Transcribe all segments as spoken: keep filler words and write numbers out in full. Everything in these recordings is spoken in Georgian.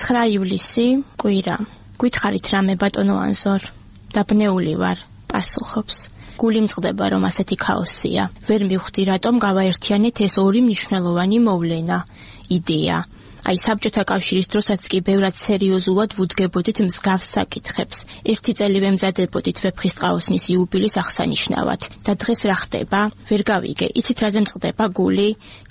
ცხრა ივლისი, კვირა. Გითხარით რამე ბატონო ანზორ? დაბნეული ვარ, პასუხობს. გული მწყდება, რომ ასეთი ქაოსია. ვერ მივხვდი, რატომ გავაერთიანეთ ეს ორი მნიშვნელოვანი მოვლენა, იდეა. Აი საბჭოთა კავშირის დროსაც კი ბევრად სერიოზულად ვუდგებოდით მსგავს საკითხებს. ერთი წელი ვემზადებოდით ვეფხისტყაოსნის იუბილის აღსანიშნავად. და დღეს რა ხდება? ვერ გავიგე. იცით რაზე მწყდება გული?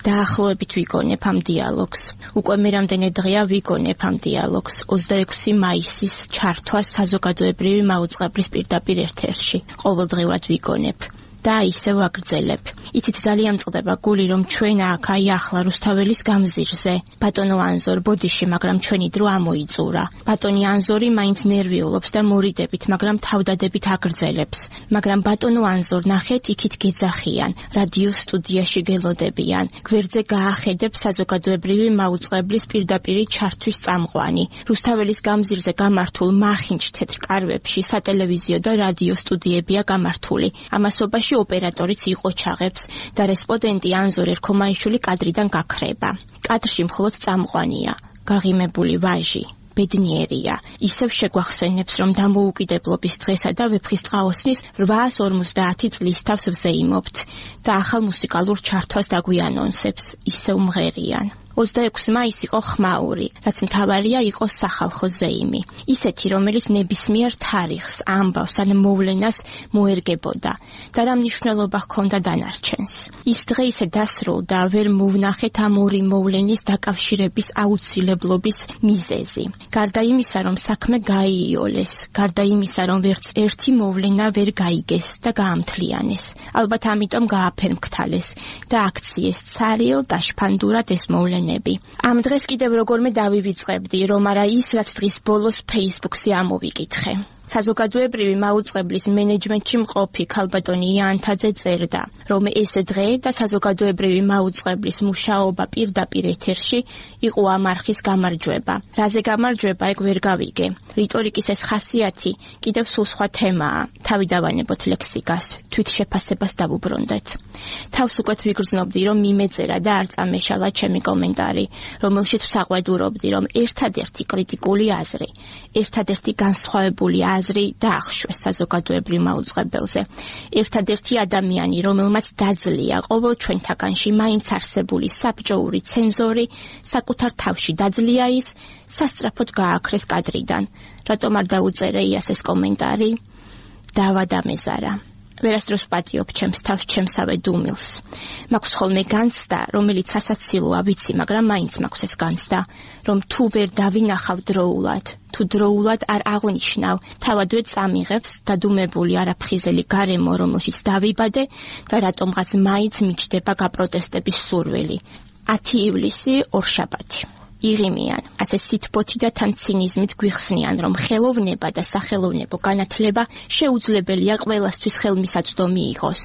დაახლოებით ვიგონებ ამ დიალოგს. უკვე მე რამდენი დღეა ვიგონებ ამ დიალოგს. ოცდაექვსი მაისის ჩართვას საზოგადოებრივი მაუწყებლის პირდაპირ ერთ-ერთში. ყოველდღიურად ვიგონებ. და ისევ ვაგრძელებ. იცით ძალიან მწყდება გული, რომ ჩვენ აქ აი ახლა რუსთაველის გამზირზე. ბატონო ანზორ ბოდიში, მაგრამ ჩვენი დრო ამოიწურა. ბატონი ანზორი მაინც ნერვიულობს და მორიდებით, მაგრამ თავდადებით აგრძელებს. მაგრამ ბატონო ანზორ ნახეთ, იქით გეძახიან, რადიო სტუდიაში გელოდებიან. გვერდზე გაახედებ საზოგადოებრივი მაუწყებლის პირდაპირი ჩართვის წამყვანი. რუსთაველის გამზირზე გამართულ მახინჯ თეთრ კარვებში სატელევიზიო და რადიო სტუდიებია გამართული. ამასობაში ოპერატორიც იყოჩაღებს და რესპონდენტი ანზორ ერქომაიშვილი კადრიდან გაქრება. კადრში მხოლოდ წამყვანია, გაღიმებული ვაჟი, ბედნიერია. ისევ შეგვახსენებს, რომ დამოუკიდებლობის დღესა და ვეფხისტყაოსნის რვაას ორმოცდაათი წლის თავს ვზეიმობთ და ახალ მუსიკალურ ჩართვას დაგვიანონსებს, ისევ მღერიან. ოცდაექვსი მაისი იყო ხმაური, რაც მთავარია იყო სახალხო ზეიმი. ისეთი, რომელიც ნებისმიერ თარიღს, ამბავს ან მოვლენას მოერგებოდა და რა მნიშვნელობა ჰქონდა დანარჩენს. ის დღე ისე დასრულდა, ვერ მოვნახეთ ამ ორი მოვლენის დაკავშირების აუცილებლობის მიზეზი. გარდა იმისა, რომ საქმე გაიოლეს, გარდა იმისა, რომ ვერც ერთი მოვლენა ვერ გაიგეს და გაამთლიანეს. ალბათ ამიტომ გააფერმქთალეს და აქციეს ცარიელ და შფანდურად ეს მოვლენა. ამ დღეს კიდევ როგორმე დავივიწყებდი, რომ არა ის, რაც დღის ბოლოს Facebook-ზე ამოვიკითხე. საზოგადოებრივი მაუწყებლის მენეჯმენტში მყოფი ქალბატონი იანთაძე წერდა, რომ ეს დღე და საზოგადოებრივი მაუწყებლის მუშაობა პირდაპირ ეთერში იყო ამ არხის გამარჯვება. რაზე გამარჯვება, ეგ ვერ გავიგე. რიტორიკის ეს ხასიათი კიდევ სულ სხვა თემაა. თავი დავანებოთ ლექსიკას, თვით შეფასებას დავუბრუნდეთ. თავს უკეთ ვიგრძნობდი, რომ მიმეწერა და არ წამეშალა ჩემი კომენტარი, რომელშიც ვსაყვედურობდი, რომ ერთადერთი კრიტიკული აზრი, ერთადერთი განსხვავებული აზრი დაახშვეს საზოგადოებრივ მაუწყებელზე. ერთადერთი ადამიანი, რომელმაც დაძლია ყოველ ჩვენთაგანში მაინც არსებული საბჭოური ცენზორი, საკუთარ თავში დაძლია ის, სასწრაფოდ გააქრეს კადრიდან. რატომ არ დაუწერე იას ეს კომენტარი? დავადამეზარა. ვერასდროს პატიობ ჩემს თავს ჩემსავე დუმილს. მაქვს ხოლმე განცდა, რომელიც ასაცილოა, ვიცი, მაგრამ მაინც მაქვს ეს განცდა, რომ თუ ვერ დავინახავ დროულად, თუ დროულად არ აღვნიშნავ, თავადვე წამიღებს დადუმებული არაფხიზელი გარემო, რომელშიც დავიბადე და რატომღაც მაინც მიჩნდება გაპროტესტების სურვილი. ათი ივლისი, ორშაბათი. იღიმიან, ასე სითბოთი და თან ცინიზმით გვიხსნიან, რომ ხელოვნება და სახელოვნებო განათლება შეუძლებელია ყველასთვის ხელმისაწვდომი იყოს.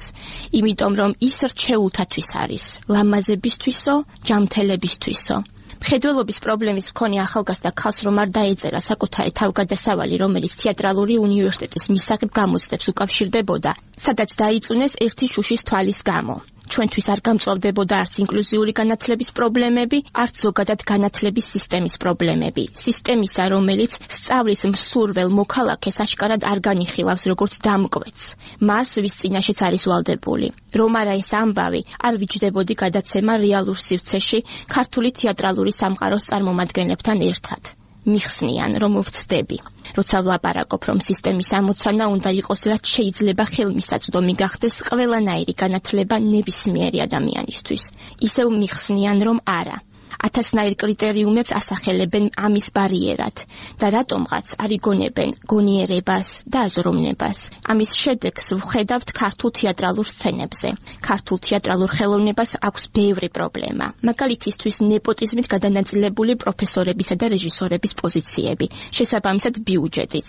იმიტომ, რომ ის რჩეულთათვის არის, ლამაზებისთვისო, ჯამთელებისთვისო. მხედველობის პრობლემის მქონე ახალგაზრდა ქალს რომ არ დაეწერა საკუთარი თავგადასავალი, რომელიც თეატრალური უნივერსიტეტის მისაღებ გამოცდებს უკავშირდებოდა, სადაც დაიწუნეს ერთი შუშის თვალის გამო. ჩვენთვის არ გამწვავდებოდა არც ინკლუზიური განათლების პრობლემები, არც ზოგადად განათლების სისტემის პრობლემები. სისტემისა, რომელიც სწავლის მსურվել მოქალაქეს აშკარად არ განიხილავს როგორც დამკვეთს. მას ვის წინაშეც არის ვალდებული. რომ არა ეს ამბავი, არ ვიჯდებოდი გადაცემა რეალურ სივრცეში ქართული თეატრალური სამყაროს წარმომადგენლებთან ერთად. მიხსნიან, რომ ვწდები. როცა ვლაპარაკობ, რომ სისტემის ამოცანა უნდა იყოს, რაც შეიძლება ხელმისაწვდომი გახდეს ყველანაირი განათლება ნებისმიერი ადამიანისთვის. ისევ მიხსნიან, რომ არა. ათასნაირ კრიტერიუმებს ასახელებენ ამის ბარიერად და რატომღაც არ იგონებენ გონიერებას და აზროვნებას. ამის შედეგს ვხედავთ ქართულ თეატრალურ სცენებზე. ქართულ თეატრალურ ხელოვნებას აქვს ბევრი პრობლემა. მაგალითისთვის ნეპოტიზმით გადანაწილებული პროფესორებისა და რეჟისორების პოზიციები, შესაბამისად ბიუჯეტიც.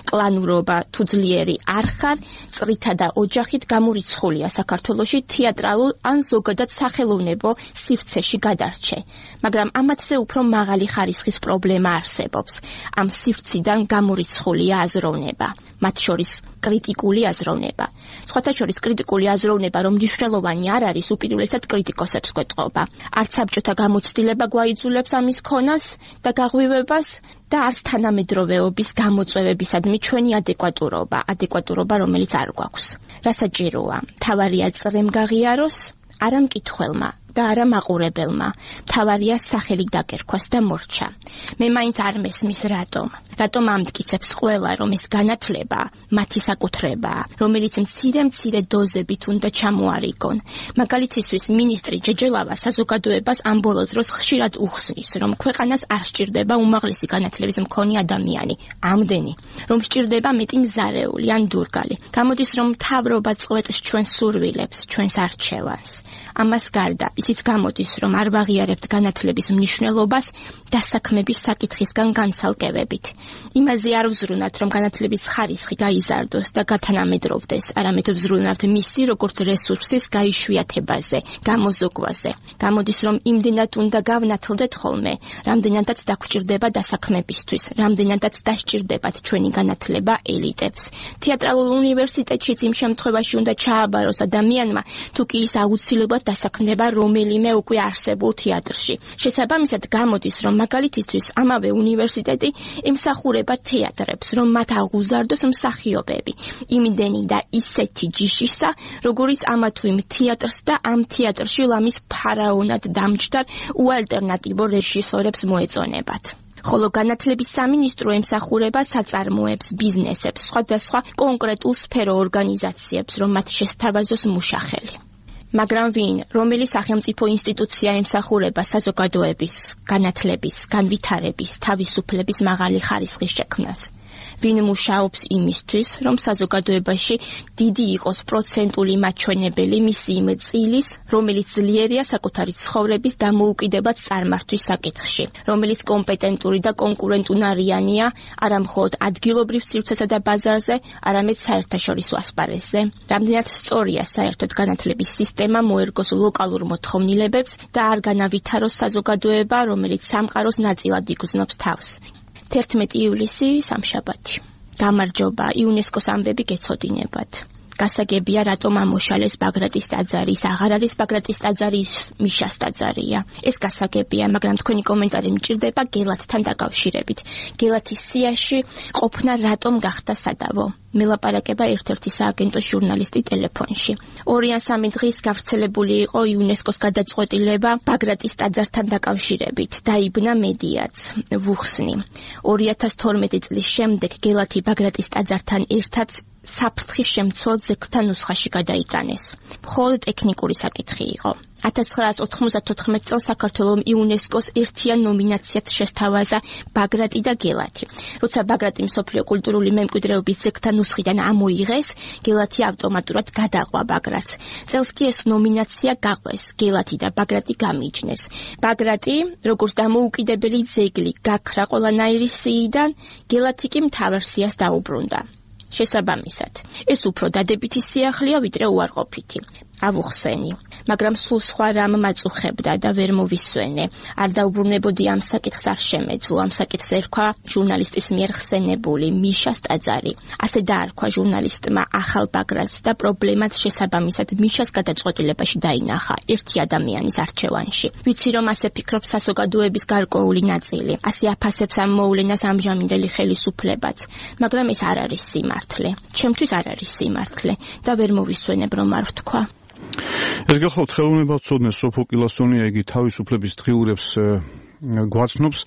კლანურობა თუ ძლიერი არ ხარ, წრითა და ოჯახით გამორიცხულია საქართველოში თეატრალურ ან ზოგადად სახელოვნებო სივრცეში გადარჩე. მაგრამ ამათზე უფრო მაღალი ხარისხის პრობლემა არსებობს. ამ სივრციდან გამორიცხულია აზროვნება, მათ შორის კრიტიკული აზროვნება. სხვათა შორის კრიტიკული აზროვნება, რომ მნიშვნელოვანი არ არის, უპირველესად კრიტიკოსებს გვეტყობა. არც საბჭოთა გამოცდილება გვაიძულებს ამის ქონას და გაღვივებას და არც თანამედროვეობის გამოწვევებისადმი ჩვენი ადეკვატურობა, ადეკვატურობა, რომელიც არ გვაქვს. რასაჭიროა, თავარია წრემ გაღიაროს, არა მკითხველმა და არა მაყურებელმა, თავარია სახელი დაკერქვას და მორჩა. მე მაინც არ მესმის რატომ. რატომ ამტკიცებს ყველა, რომ ეს განათლება მათი საკუთრებაა, რომელიც მცირე-მცირე დოზებით უნდა ჩამოარიგონ. მაგალითისთვის მინისტრი ჯეჯელავა საზოგადოებას ამ ბოლო დროს ხშირად უხსნის, რომ ქვეყანას არ სჭირდება უმაღლესი განათლების მქონე ადამიანი, ამდენი, რომ სჭირდება მეტი მზარეული ან დურგალი. გამოდის, რომ მთავრობა წყვეტს ჩვენს სურვილებს, ჩვენს არჩევანს. ამას გარდა ისიც გამოდის, რომ არ ვაღიარებთ განათლების მნიშვნელობას დასაქმების საკითხისგან განცალკევებით. იმაზე არ ვზრუნავთ, რომ განათლების ხარისხი გაიზარდოს და გათანამედროვდეს, არამედ ვზრუნავთ მისი როგორც რესურსის გაიშვიათებაზე, გამოზოგვაზე. გამოდის, რომ იმდენად უნდა გავნათლდეთ ხოლმე, რამდენადაც დაგვჭირდება დასაქმებისთვის, რამდენადაც დასჭირდებათ ჩვენი განათლება ელიტებს. თეატრალურ უნივერსიტეტშიც იმ შემთხვევაში უნდა ჩააბაროს ადამიანმა, თუ კი ის აუცილებლად დასაქმდება რომელიმე უკვე არსებულ თეატრში. შესაბამისად გამოდის, რომ მაგალითისთვის ამავე უნივერსიტეტი ემსახურება თეატრებს, რომ მათ აღუზარდოს მსახიობები, იმდენი და ისეთი ჯიშისა, როგორიც ამა თუ იმ თეატრს და ამ თეატრში ლამის ფარაონად დამჯდარ უალტერნატივო რეჟისორებს მოეწონებათ. ხოლო განათლების სამინისტრო ემსახურება საწარმოებს, ბიზნესებს, სხვადასხვა კონკრეტულ სფერო ორგანიზაციებს, რომ მათ შესთავაზოს მუშახელი. მაგრამ ვინ, რომელი სახელმწიფო ინსტიტუცია ემსახურება საზოგადოების, განათლების, განვითარების, თავისუფლების მაღალი ხარისხის შექმნას? ვინ მუშაობს იმისთვის, რომ საზოგადოებაში დიდი იყოს პროცენტული მაჩვენებელი მისი იმ წილის, რომელიც ძლიერია საკუთარი ცხოვრების დამოუკიდებად წარმართვის საკითხში, რომელიც კომპეტენტური და კონკურენტუნარიანია არა მხოლოდ ადგილობრივ სივრცესა და ბაზარზე, არამედ საერთაშორისო ასპარეზზე. რამდენად სწორია საერთოდ განათლების სისტემა მოერგოს ლოკალურ მოთხოვნილებებს და არ განავითაროს საზოგადოება, რომელიც სამყაროს ნაწილად იგრძნობს თავს. თერთმეტი ივლისი სამშაბათი. გამარჯობა, იუნესკოს ამბები გეცოდინებათ. გასაგებია, რატომ ამოშალეს ბაგრატის ტაძარი, ის აღარ არის ბაგრატის ტაძარი, ის მიშას ტაძარია. ეს გასაგებია, მაგრამ თქვენი კომენტარი მჭირდება გელათთან დაკავშირებით. გელათის სიაში ყოფნა რატომ გახდა სადავო? მელაპარაკება ერთ-ერთი სააგენტო ჟურნალისტი ტელეფონში. ორი ან სამი დღის გავრცელებული იყო იუნესკოს გადაწყვეტილება ბაგრატის ტაძართან დაკავშირებით. დაიბნა მედიაც, ვუხსნი. ორი ათას თორმეტი წლის შემდეგ გელათი ბაგრატის ტაძართან ერთად საფრთხის შემცველ ძეგლთა ნუსხაში გადაიტანეს. მხოლოდ ტექნიკური საკითხი იყო. ათას ცხრაასი ოთხმოცდათოთხმეტი წელს საქართველოს იუნესკოს ერთიან ნომინაციად შესთავაზა ბაგრატი და გელათი. როცა ბაგრატი მსოფლიო კულტურული მემკვიდრეობის ძეგლთა ნუსხიდან ამოიღეს, გელათი ავტომატურად გადაყვა ბაგრატს. წელს კი ეს ნომინაცია გაყვეს, გელათი და ბაგრატი გამიჯნეს. ბაგრატი, როგორც დამოუკიდებელი ძეგლი, გაქრა ყველანაირი სიიდან, გელათი კი მთავარ სიას დაუბრუნდა. შესაბამისად, ეს უფრო დადებითი სიახლეა, ვიდრე უარყოფითი. ავუხსენი, მაგრამ სულ სხვა რამ მაწუხებდა და ვერ მოვისვენე. არ დაუბრუნებოდი ამ საკითხს არ შემეძლო, ამ საკითხს ერქვა ჟურნალისტის მიერ ხსენებული მიშას ტაძარი. ასე დაარქვა ჟურნალისტმა ახალ ბაგრატს და პრობლემაც შესაბამისად მიშას გადაწყვეტილებაში დაინახა ერთი ადამიანის არჩევანში. ვიცი, რომ ასე ფიქრობს საზოგადოების გარკვეული ნაწილი, ასე აფასებს ამ მოვლენას ამჟამინდელი ხელისუფლებაც, მაგრამ ეს არ არის სიმართლე. ჩემთვის არ არის სიმართლე და ვერ მოვისვენებ, რომ არ ვთქვა. ეს გახლავთ ხელოვნებაცოდნე სოფო კილასონია, იგი თავისუფლების დღიურებს გვაცნობს.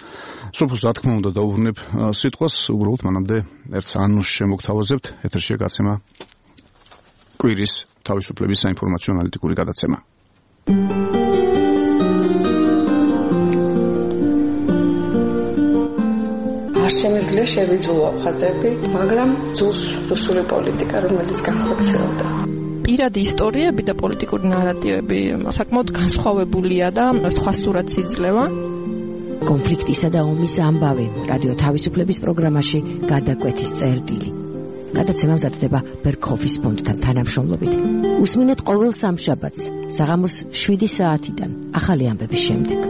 სოფოს რა თქმა უნდა დაუბრუნებ სიტყვას, უბრალოდ მანამდე ერთ ანონსს შემოგთავაზებთ. ეთერშია გაცემა კვირის თავისუფლების საინფორმაციო ანალიტიკური გადაცემა. არ შემიძლია შევიძულო ხაზები, მაგრამ ძულს რუსული პოლიტიკა, რომელიც განხორციელდა. პირადი ისტორიები და პოლიტიკური ნარატივები საკმაოდ განსხვავებულია და სხვა სურათს იძლევა. კონფლიქტისა და ომის ამბავი რადიო თავისუფლების პროგრამაში გადაკვეთის წერტილი. გადაცემა მზადდება ბერქოფის ფონდთან თანამშრომლობით. უსმინეთ ყოველ სამშაბათს საღამოს შვიდი საათიდან ახალი ამბების შემდეგ.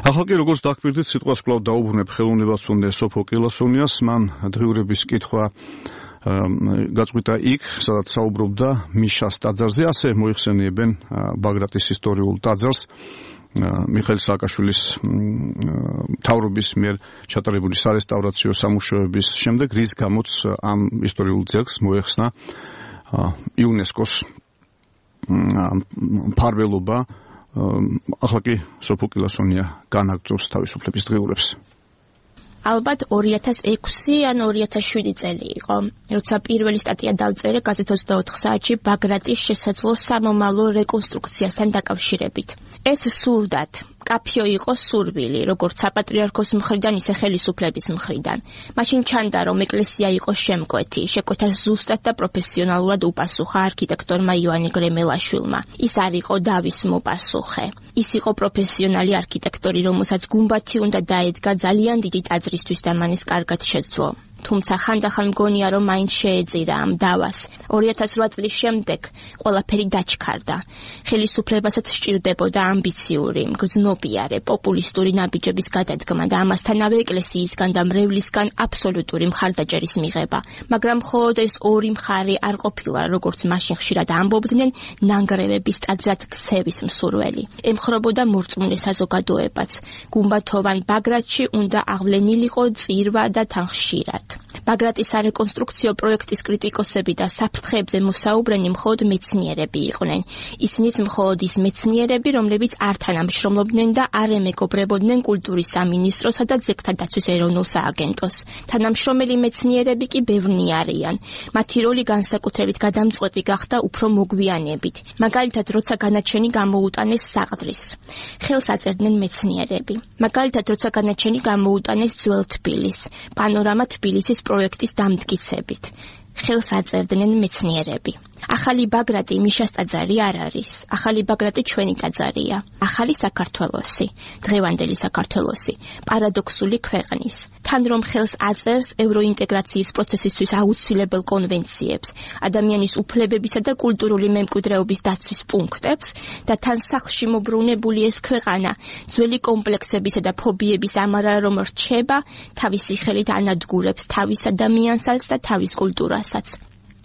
ახლა კი როგორც დაგკვირდით, სიტყვას კვლავ დაუბრუნებ ხელოვნებაცოდნე სოფო კილასონიას, მან დღიურების კითხვა გაწყვიტა იქ, სადაც საუბრობდა მიშას ტაძარზე, ასე მოიხსენიებენ ბაგრატის ისტორიულ ტაძარს მიხეილ სააკაშვილის მთავრობის მიერ ჩატარებული სარესტავრაციო სამუშაოების შემდეგ, რის გამოც ამ ისტორიულ ძეგლს მოეხსნა იუნესკოს მფარველობა. ახლა კი სოფო კილასონია განაგრძობს თავისუფლების დღიურებს. ალბათ ორი ათას ექვსი ან ორი ათას შვიდი წელი იყო, როცა პირველი სტატია დავწერე გაზეთ ოცდაოთხ საათში ბაგრატის შესაძლო სამომავლო რეკონსტრუქციასთან დაკავშირებით. ეს სურდათ კაფიო იყო სურვილი, როგორც საპატრიარქოს მხრიდან, ისე ხელისუფლების მხრიდან. მაშინ ჩანდა, რომ ეკლესია იყო შემკვეთი, შეკვეთა ზუსტად და პროფესიონალურად უპასუხა არქიტექტორმა ივანე გრემელაშვილმა. ის არ იყო დავის მოპასუხე. ის იყო პროფესიონალი არქიტექტორი, რომელსაც გუმბათი უნდა დაედგა ძალიან დიდი ტაძრისთვის და მან ეს კარგად შეძლო. თუმცა ხანდახან მგონია, რომ მაინც შეეწირა ამ დავას. ორი ათას რვა წლის შემდეგ ყველაფერი დაჩქარდა. ხელისუფლებასაც სჭირდებოდა ამბიციური, მგრძნობიარე, პოპულისტური ნაბიჯების გადადგმა და ამასთანავე ეკლესიისგან და მრევლისგან აბსოლუტური მხარდაჭერის მიღება. მაგრამ მხოლოდ ეს ორი მხარე არ ყოფილა, როგორც მაშინ ხშირად ამბობდნენ, ნანგრევების ტაძრად ქცევის მსურველი. ემხრობოდა მორწმუნე საზოგადოებაც. გუმბათოვან ბაგრატში უნდა აღვლენილიყო წირვა და თან ხშირად. ბაგრატის სარეკონსტრუქციო პროექტის კრიტიკოსები და საფრთხეებზე მოსაუბრენი მხოლოდ მეცნიერები იყვნენ. ისინიც მხოლოდ ის მეცნიერები, რომლებიც არ თანამშრომლობდნენ და არ ემეგობრებოდნენ კულტურის სამინისტროსა და ძეგლთა დაცვის ეროვნულ სააგენტოს. თანამშრომელი მეცნიერები კი ბევრნი არიან. მათი როლი განსაკუთრებით გადამწყვეტი გახდა უფრო მოგვიანებით. მაგალითად, როცა განაჩენი გამოუტანეს საყდრის. ხელს აწერდნენ მეცნიერები. მაგალითად, როცა განაჩენი გამოუტანეს ძველ თბილის, პანორამა თბილისის პროექტის დამტკიცებით. ხელს აწერდნენ მეცნიერები. ახალი ბაგრატი მიშას ტაძარი არ არის. ახალი ბაგრატი ჩვენი ტაძარია. ახალი საქართველოსი, დღევანდელი საქართველოსი, პარადოქსული ქვეყნის. თან რომ ხელს აწერს ევროინტეგრაციის პროცესისთვის აუცილებელ კონვენციებს, ადამიანის უფლებებისა და კულტურული მემკვიდრეობის დაცვის პუნქტებს და თან სახლში მობრუნებული ეს ქვეყანა ძველი კომპლექსებისა და ფობიების ამარა რომ რჩება, თავისი ხელით ანადგურებს თავის ადამიანსაც და თავის კულტურასაც.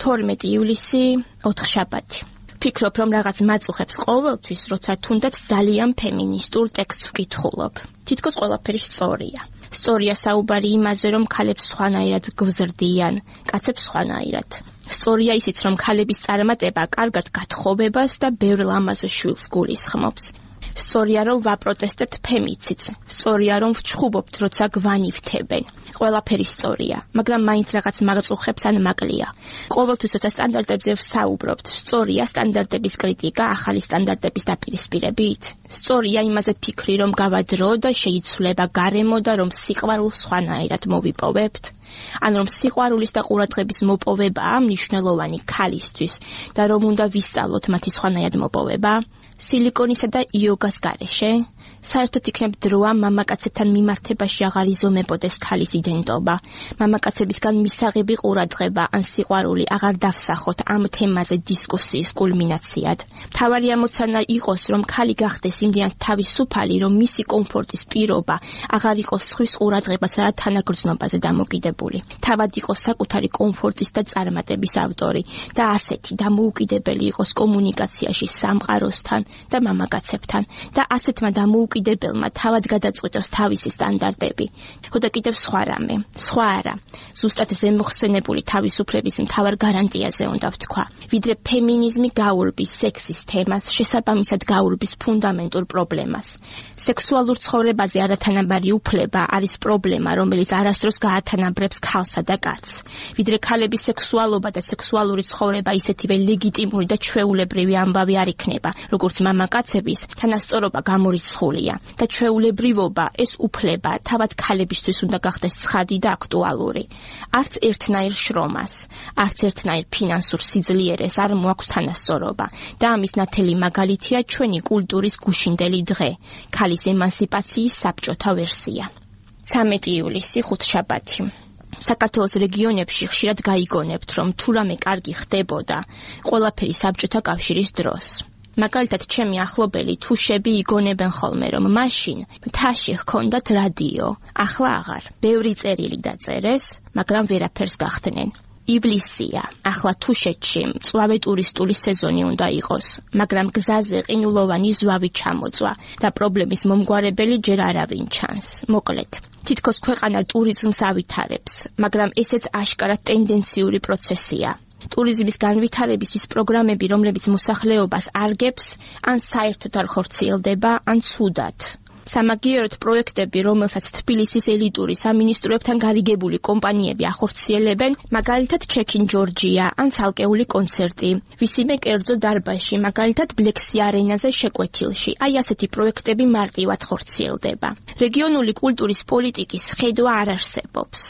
თორმეტი ივლისი, ოთხშაბათი. ვფიქრობ, რომ რაღაც მაწუხებს ყოველთვის, როცა თუნდაც ძალიან ფემინისტურ ტექსტს ვკითხულობ. თითქოს ყველაფერი სწორია. სწორია საუბარი იმაზე, რომ ქალებს სხვანაირად გვზრდიან, კაცებს სხვანაირად. სწორია ისიც, რომ ქალების წარმატება კარგად გათხოვებას და ბევრ ლამაზ შვილს გულისხმობს. სწორია, რომ ვაპროტესტებთ ფემიციდს. სწორია, რომ ვჩხუბობთ, როცა გვანივთებენ. ყველაფერი სწორია, მაგრამ მაინც რაღაც მაღწუხებს ან მაკლია. ყოველთვის როცა სტანდარტებზე ვსაუბრობთ, სწორია სტანდარტების კრიტიკა ახალი სტანდარტების დაპირისპირებით. სწორია იმაზე ფიქრი, რომ გავადრო და შეიცვლება გარემო და რომ სიყვარულს სხვანაირად მოვიპოვებთ. ან რომ სიყვარულის და ყურადღების მოპოვებაა მნიშვნელოვანი ქალისთვის და რომ უნდა ვისწავლოთ მათი სხვანაირად მოპოვება. სილიკონისა და იოგას გარეშე საერთოდ იქნებ დროა მამაკაცებთან მიმართებაში აღარ იზომებოდეს ქალის იდენტობა. მამაკაცებისგან მისაღები ყურადღება ან სიყვარული აღარ დავსახოთ ამ თემაზე დისკუსიის კულმინაციად. მთავარი ამოცანა იყოს, რომ ქალი გახდეს იმდენად თავისუფალი, რომ მისი კომფორტის პირობა აღარ იყოს სხვის ყურადღებასა და თანაგრძნობაზე დამოკიდებული. თავად იყოს საკუთარი კომფორტის და წარმატების ავტორი და ასეთი დამოუკიდებელი იყოს კომუნიკაციაში სამყაროსთან და მამაკაცებთან და ასეთმა დამოუკიდებელმა თავად გადაწყვიტოს თავისი სტანდარტები. ხოდა კიდევ სხვა რამე, სხვა არა. ზუსტად ზემოხსენებული თავისუფლების მთავარ გარანტიაზე უნდა ვთქვა. ვიდრე ფემინიზმი გაურბის სექსის თემას, შესაბამისად გაურბის ფუნდამენტურ პრობლემას. სექსუალურ ცხოვრებაზე არათანაბარი უფლება არის პრობლემა, რომელიც არასდროს გაათანაბრებს ქალსა და კაცს. ვიდრე ქალების სექსუალობა და სექსუალური ცხოვრება ისეთივე ლეგიტიმური და ჩვეულებრივი ამბავი არ იქნება, როგორც მამაკაცების, თანასწორობა გამორიცხულია და ჩვეულებრივობა ეს უფლება თავად ქალებისთვის უნდა გახდეს ცხადი და აქტუალური. არც ერთნაირ შრომას, არც ერთნაირ ფინანსურ სიძლიერეს არ მოაქვს თანასწორობა და ამის ნათელი მაგალითია ჩვენი კულტურის გუშინდელი დღე, ქალის ემანსიპაციის საბჭოთა ვერსია. ცამეტი ივლისი, ხუთშაბათი. საქართველოს რეგიონებში ხშირად გაიგონებთ, რომ თუ რამე კარგი ხდებოდა, ყველაფერი საბჭოთა კავშირის დროს. მაგალითად, ჩემი ახლობელი თუშები იგონებენ ხოლმე, რომ მაშინ მთაში ჰქონდათ რადიო, ახლა აღარ. ბევრი წერილი დაწერეს, მაგრამ ვერაფერს გახდნენ. ივლისია. ახლა თუშეთში მწვავე ტურისტული სეზონი უნდა იყოს, მაგრამ გზაზე ყინულოვანი ზვავი ჩამოწვა და პრობლემის მომგვარებელი ჯერ არავინ ჩანს. მოკლედ, თითქოს ქვეყანა ტურიზმს ავითარებს, მაგრამ ესეც აშკარად ტენდენციური პროცესია. ტურიზმის განვითარების ის პროგრამები, რომლებიც მოსახლეობას არგებს, ან საერთოდ არ ხორციელდება, ან ცუდად. სამაგიეროდ პროექტები, რომელსაც თბილისის ელიტური სამინისტროებთან გარიგებული კომპანიები ახორციელებენ, მაგალითად ჩეკინ ჯორჯია ან ცალკეული კონცერტი, ვისიმე კერძო დარბაზში, მაგალითად ბლექსი არენაზე შეკვეთილში. აი ასეთი პროექტები მარტივად ხორციელდება. რეგიონული კულტურის პოლიტიკის ხედვა არ არსებობს.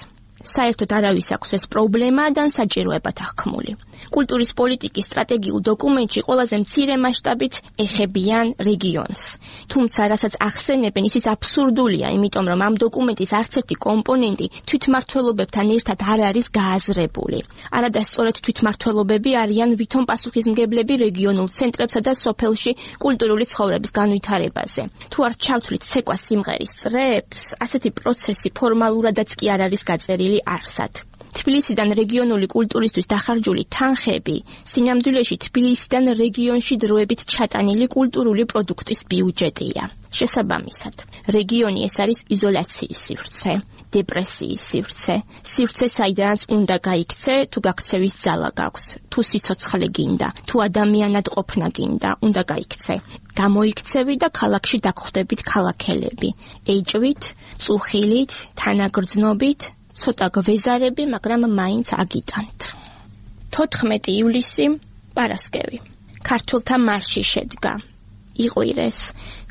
საერთოდ არავის აქვს ეს პრობლემა და საჭიროებად აღქმული. კულტურის პოლიტიკის სტრატეგიულ დოკუმენტში ყველაზე მცირე მასშტაბით ეხებიან რეგიონს. თუმცა, რასაც ახსენებენ, ის ის აბსურდულია, იმიტომ რომ ამ დოკუმენტის არც ერთი კომპონენტი თვითმმართველობებთან ერთად არ არის გააზრებული. არადა სწორედ თვითმმართველობები არიან ვითომ პასუხისმგებლები რეგიონულ ცენტრებსა და სოფელში კულტურული ცხოვრების განვითარებაზე. თუ არ ჩავთვლით ცეკვა სიმღერის წრეებს, ასეთი პროცესი ფორმალურადაც კი არ არის გაწერილი არსად. თბილისიდან რეგიონული კულტურისთვის დახარჯული თანხები სინამდვილეში თბილისიდან რეგიონში დროებით ჩატანილი კულტურული პროდუქტის ბიუჯეტია. შესაბამისად, რეგიონი ეს არის იზოლაციის სივრცე, დეპრესიის სივრცე, სივრცე, საიდანაც უნდა გაიქცე, თუ გაქცევის ძალა გაქვს, თუ სიცოცხლე გინდა, თუ ადამიანად ყოფნა გინდა, უნდა გაიქცე. გამოიქცევი და ქალაქში დაგხვდებით ქალაქელები, ეჭვით, წუხილით, თანაგრძნობით, ცოტა გვეზარები, მაგრამ მაინც აგიტანთ. თოთხმეტი ივლისი, პარასკევი. ქართველთა მარში შედგა. იყვირეს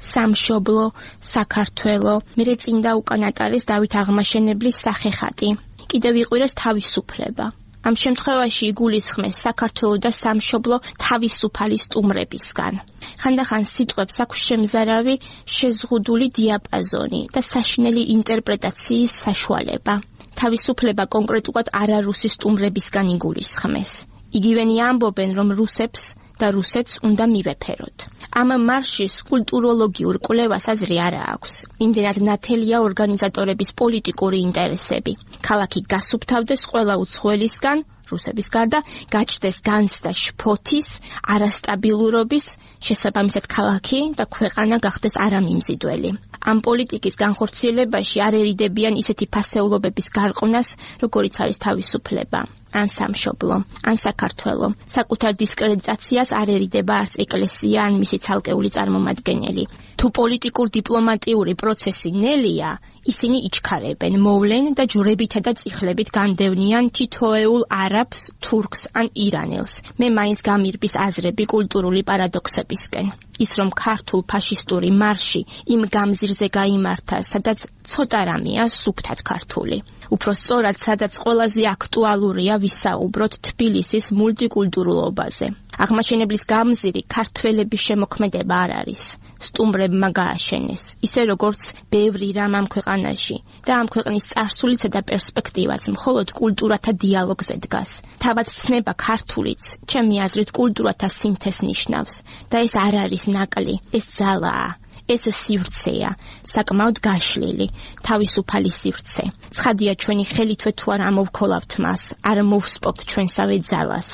სამშობლო, საქართველო, მერე წინ და უკან ატარეს დავით აღმაშენებლის სახეხატი. კიდევ იყვირეს თავისუფლება. ამ შემთხვევაში იგულისხმეს საქართველო და სამშობლო თავისუფალი სტუმრებისგან. ხანდახან სიტყვებს აქვს შემზარავი შეზღუდული დიაპაზონი და საშინელი ინტერპრეტაციის საშუალება. თავისუფლება კონკრეტულად არარუსი სტუმრებისგან იგულისხმეს. იგივენი ამბობენ, რომ რუსებს და რუსეთს უნდა მივეფეროთ. ამ მარშის კულტუროლოგიურ კვლევას აზრი არა აქვს. იმდენად ნათელია ორგანიზატორების პოლიტიკური ინტერესები. ქალაქი გასუფთავდეს ყველა უცხოელისგან, რუსების გარდა, გაჩნდეს განცდა შფოთის, არასტაბილურობის, შესაბამისად ქალაქი და ქვეყანა გახდეს არამიმზიდველი. ამ პოლიტიკის განხორციელებაში არ ერიდებიან ისეთი ფასეულობების გარყვნას, როგორიც არის თავისუფლება, ან სამშობლო, ან საქართველო. საკუთარ დისკრედიტაციას არერიდება არც ეკლესია, ან მისი ცალკეული წარმომადგენელი. თუ პოლიტიკურ დიპლომატიური პროცესი ნელია, ისინი იჩქარებენ, მოვლენ და ჯვრებითა და წიხლებით განდევნიან თითოეულ არაბს, თურქს ან ირანელს. მე მაინც გამირბის აზრები კულტურული პარადოქსებისკენ. ის რომ ქართულ ფაშისტური მარში იმ გამზირზე გაიმართა, სადაც ცოტა რამეა სუფთად ქართული. უფრო სწორად, სადაც ყველაზე აქტუალურია ვისაუბროთ თბილისის მულტიკულტურულობაზე. აღმაშენებლის გამზირი ქართველების შემოქმედება არ არის. სტუმრებმა გააშენეს, ისე როგორც ბევრი რამ ამ ქვეყანაში და ამ ქვეყნის წარსულისა და პერსპექტივაც მხოლოდ კულტურათა დიალოგზე დგას. თავად ცნება ქართულიც, ჩემი აზრით, კულტურათა სინთეზს ნიშნავს და ეს არ არის ნაკლი, ეს ძალაა. ეს სივრცეა, საკმაოდ გაშლილი, თავისუფალი სივრცე. ცხადია ჩვენი ხელითვე თუ არ ამოვქოლავთ მას, არ მოვსპობთ ჩვენსავე ძალას,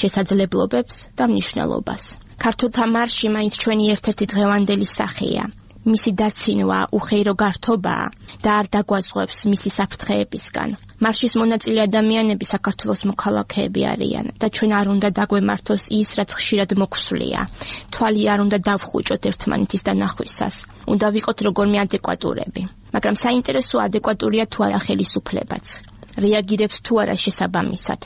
შესაძლებლობებს და მნიშვნელობას. ქართულთა მარში მაინც ჩვენი ერთ-ერთი დღევანდელი სახეა. მისი დაცინვა უხეირო გართობაა და არ დაგვაზღვევს მისი საფრთხეებისგან. მარშის მონაწილე ადამიანები საქართველოს მოქალაქეები არიან და ჩვენ არ უნდა დაგვემართოს ის, რაც ხშირად მოგვსვლია. თვალი არ უნდა დავხუჭოთ ერთმანეთის დანახვისას. უნდა ვიყოთ როგორმე ადეკვატურები. მაგრამ საინტერესო ადეკვატურია თუ არა ხელისუფლებაც. რეაგირებს თუ არა შესაბამისად.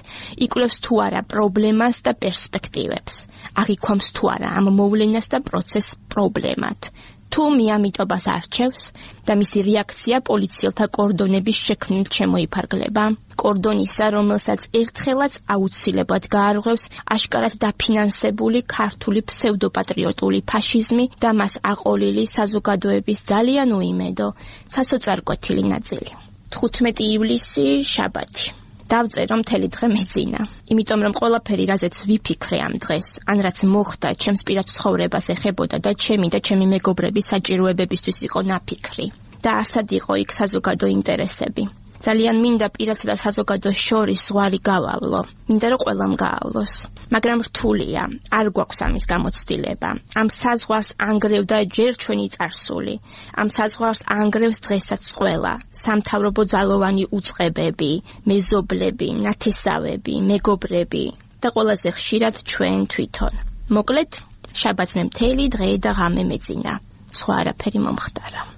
იკვლევს თუ არა პრობლემას და პერსპექტივებს. აღიქვამს თუ არა ამ მოვლენას და პროცესს პრობლემად. თუ მიამიტობას არჩევს და მისი რეაქცია პოლიციელთა კორდონების შექმნით შემოიფარგლება, კორდონისა, რომელსაც ერთხელაც აუცილებლად გაარღვევს აშკარად დაფინანსებული ქართული ფსევდოპატრიოტული ფაშიზმი და მას აყოლილი საზოგადოების ძალიან უიმედო, სასოწარკვეთილი ნაწილი. თხუთმეტი ივლისი, შაბათი. დავწერო მთელი დღე მეძინა. იმიტომ რომ ყველაფერი რაზეც ვიფიქრე ამ დღეს, ან რაც მოხდა, ჩემს პირად ცხოვრებას ეხებოდა და ჩემი და ჩემი მეგობრების საჭიროებებისთვის იყო ნაფიქრი. და არსად იყო იქ საზოგადო ინტერესები. ძალიან მინდა პირადსა და საზოგადოს შორის ზღვარი გავავლო. მინდა რომ ყველამ გაავლოს. მაგრამ რთულია, არ გვაქვს ამის გამოცდილება. ამ საზღვარს ანგრევდა ჯერ ჩვენი წარსული. ამ საზღვარს ანგრევს დღესაც ყველა. სამთავრობო ძალოვანი უწყებები, მეზობლები, ნათესავები, მეგობრები და ყველაზე ხშირად ჩვენ თვითონ. მოკლედ, შაბათს მე მთელი დღე და ღამე მეძინა. სხვა არაფერი მომხდარა.